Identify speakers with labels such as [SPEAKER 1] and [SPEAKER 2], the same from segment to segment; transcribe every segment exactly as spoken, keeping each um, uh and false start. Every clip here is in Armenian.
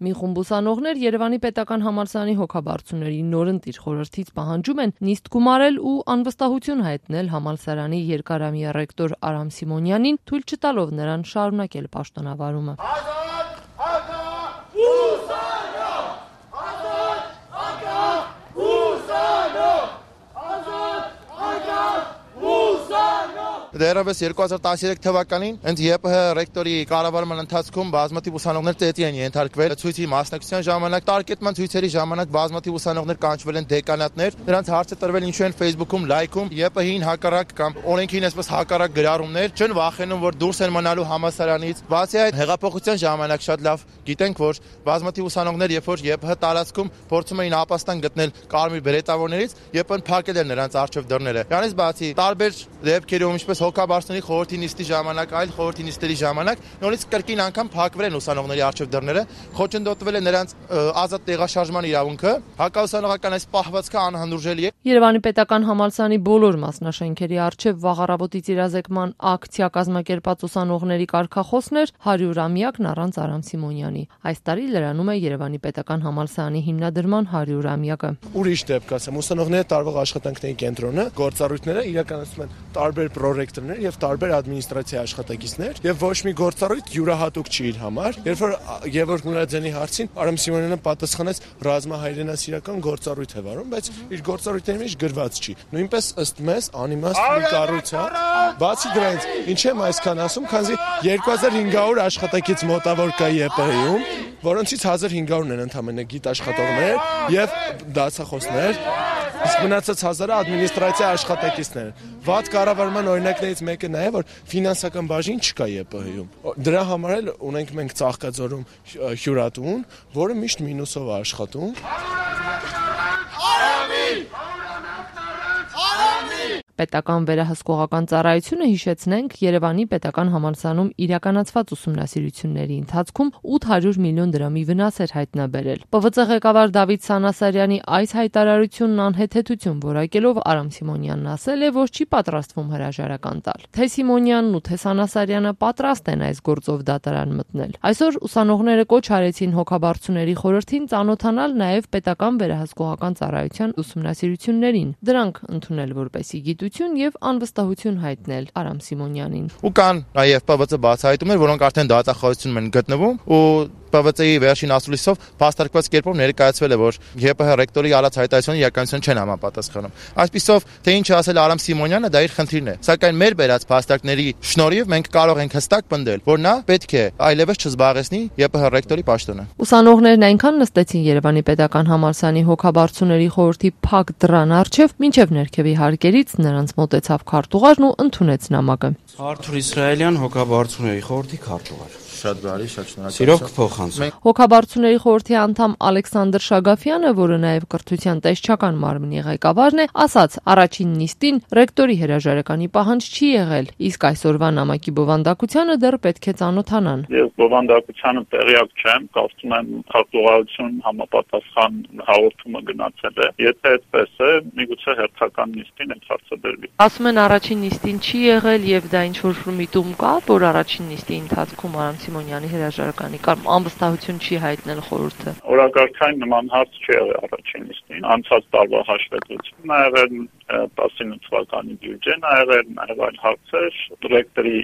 [SPEAKER 1] Մի խումբ ուսանողներ Երևանի պետական համալսարանի հոգաբարձուների նորընտիր խորհրդից պահանջում են նիստ գումարել ու անվստահություն հայտնել համալսարանի երկարամյա ռեկտոր Արամ Սիմոնյանին, թույլ չտալով նրան շարունակել պաշտոնավարումը։
[SPEAKER 2] Դեռևս երկու հազար տասներեք թվականին ընդ ԵՊՀ ռեկտորի կառավարման ընթացքում բազմաթիվ ուսանողներ ծեծի են ենթարկվել ցույցի մասնակցության ժամանակ, տարկետման ցույցերի ժամանակ բազմաթիվ ուսանողներ կանչվել են դեկանատներ, նրանց հարցը տրվել ինչու են Facebook-ում լայքում, ԵՊՀ-ին հակառակ կամ օրենքին այսպես հակառակ գրառումներ, չեն վախենում, որ դուրս են մնալու համալսարանից։ Բացի այդ, հեղափոխության ժամանակ շատ լավ գիտենք, որ բազմաթիվ ուսանողներ, երբ որ ԵՊՀ տարածքում փորձում էին ապաստան գտնել կարմիր բերետավորներից, ԵՊՀ-ն փակել էր նրանց առջև դռները։ Դրանից բացի տարբեր դեպքերում ինչպես հոգաբարձների խորհրդի նիստի ժամանակ, այլ խորհրդի նիստերի ժամանակ նորից կրկին անգամ փակվել են ուսանողների առջև դռները, խոչընդոտվել է նրանց ազատ տեղաշարժման իրավունքը, հակաուսանողական այս պահվածքը անհանդուրժելի է։
[SPEAKER 1] Երևանի պետական համալսարանի բոլոր մասնաշենքերի առջև վաղ առավոտից իրազեկման ակցիա կազմակերպած ուսանողների կարգախոսն էր հարյուրամյակն առանց Արամ Սիմոնյանի։ Այս տարի լրանում է Երևանի պետական համալսարանի հիմնադրման հարյուրամյակը։
[SPEAKER 3] Ուրիշ դեպք ասեմ, ուսանողների տարվող աշխատանքների կենտրոնը գործառույթները իրականացնում են տարբեր պրոռեկտորներ եւ տարբեր ադմինիստրացիայի աշխատակիցներ եւ ոչ մի գործառույթ յուրահատուկ չի իր համար։ Երբ որ Գևորգ Մուրադյանի հարցին Արամ Սիմոնյանը պատասխանեց ռազմահայրենասիրական գործառույթ է վարում, բայց իր գործառույթների մեջ գրված չի։ Նույնպես ըստ մեզ անիմաստ մի կառույց է։ Բացի դրանից, ինչ եմ այսքան ասում, քանզի երկու հազար հինգ հարյուր աշխատակից մոտավոր կա ԵՊՀ-ում, որոնցից հազար հինգ հարյուրն են ընդամենը գիտաշխատողներ եւ դասախոսներ, իսկ մնացած հազարը ադմինիստրացիա աշխատակիցներ են։ Վատ կառավարման օրինակներից մեկը նա է, որ ֆինանսական բաժին չկա ԵՊՀ-ում։ Դրա համար էլ ունենք մենք Ծաղկաձորում հյուրատուն, որը միշտ մինուսով է աշխատում։
[SPEAKER 1] Պետական վերահսկողական ծառայությունը, հիշեցնենք, Երևանի պետական համալսարանում իրականացված ուսումնասիրությունների ընթացքում ութ հարյուր միլիոն դրամի վնաս էր հայտնաբերել։ Պ V C ղեկավար Դավիթ Սանասարյանի այս հայտարարությունն անհեթեթություն որակելով Արամ Սիմոնյանն ասել է, որ չի պատրաստվում հրաժարական տալ։ Թե Սիմոնյանն ու թե Սանասարյանը պատրաստ են այս գործով դատարան մտնել։ Այսօր ուսանողները կոչ արեցին հոգաբարձուների խորհրդին ծանոթանալ նաև պետական վերահսկողական ծառայության ուսումնասիրություններին, դրանք ընդունել որպեսզի գիտություն եւ անվստահություն հայտնել Արամ Սիմոնյանին։
[SPEAKER 2] Ու կան նաև Պ V C բացահայտումներ, որոնք արդեն դատախազությունում են գտնվում, ու Պ V C-ի վերջին ասուլիսով փաստարկված կերպով ներկայացվել է, որ ԵՊՀ ռեկտորի արած հայտարարությունը իրականություն չեն համապատասխանում։ Այսպիսով, թե ինչ ասել Արամ Սիմոնյանը, դա իր խնդիրն է։ Սակայն մեր բերած փաստարկների շնորհիվ մենք կարող ենք հստակ պնդել, որ նա պետք է այլևս չզբաղեցնի ԵՊՀ ռեկտորի պաշտոնը։
[SPEAKER 1] Ուսանողներն այնքան նստեցին Երևանի պետական համալսարանի հոգաբարձուների խորհրդի փակ դռան առջև, մինչև ներքևի հարկերից նրանց մոտեցավ քարտուղարն ու ընդունեց նամակը։
[SPEAKER 4] Արթուր Իսրայելյան, հոգաբարձուների խորհրդի քարտուղար։
[SPEAKER 2] Շատ բարի, շատ շնորհակալ։
[SPEAKER 4] Սիրով կփոխանցեմ։
[SPEAKER 1] Հոգաբարձուների խորհրդի անդամ Ալեքսանդր Շագաֆյանը, որը նաև կրթության տեսչական մարմնի ղեկավարն է, ասաց, առաջին նիստին ռեկտորի հրաժարականի պահանջ չի եղել, իսկ այսօրվա նամակի բովանդակությանը դեռ պետք է ծանոթանան։
[SPEAKER 5] Ես բովանդակությանը տեղյակ չեմ, կարծում եմ քարտուղարություն համապատասխան հաղորդումը գնացել է։ Եթե այդպես է, միգուցե հերթական նիստին այդ հարցը դրվի։
[SPEAKER 1] Ասում են առաջին նիստին չի եղել եւ դա ինչ որ միտում կա, որ առաջին նիստի ընթացքում Արամ Սիմոնյանի հրաժարականի կամ անվստահություն չի հայտնել խորհուրդը։
[SPEAKER 5] Օրակարգային նման հարց չի եղել առաջին նիստին, անցած տարվա հաշվետվությունն ա եղել, տասնինը թվականի բյուջեն ա եղել, նաև այլ հարցեր, ռեկտորի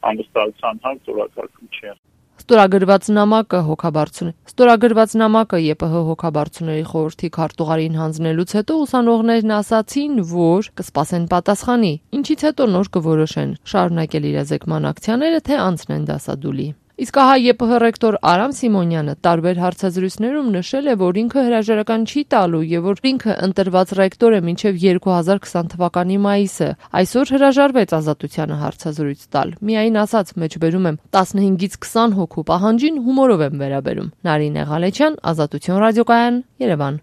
[SPEAKER 5] անվստահության հարց օրակարգում չի եղել։
[SPEAKER 1] Ստորագրված նամակը հոգաբարձուն Ստորագրված նամակը ԵՊՀ հոգաբարձուների խորհրդի քարտուղարին հանձնելուց հետո ուսանողներն ասացին, որ կսպասեն պատասխանի, ինչից հետո նոր կորոշեն շարունակել իրազեկման ակցիաները, թե անցնեն դասադուլի։ Իսկ ահա ԵՊՀ ռեկտոր Արամ Սիմոնյանը տարբեր հարցազրույցներում նշել է, որ ինքը հրաժարական չի տալու եւ որ ինքը ընտրված ռեկտոր է մինչեւ երկու հազար քսան թվականի մայիսը։ Այսօր հրաժարվեց ազատությանը հարցազրույց տալ։ Միայն ասաց, մեջբերում եմ տասնհինգից քսան հոգու պահանջին հումորով եմ վերաբերում։ Նարինե Ղալեչյան, Ազատություն ռադիոկայան, Երևան։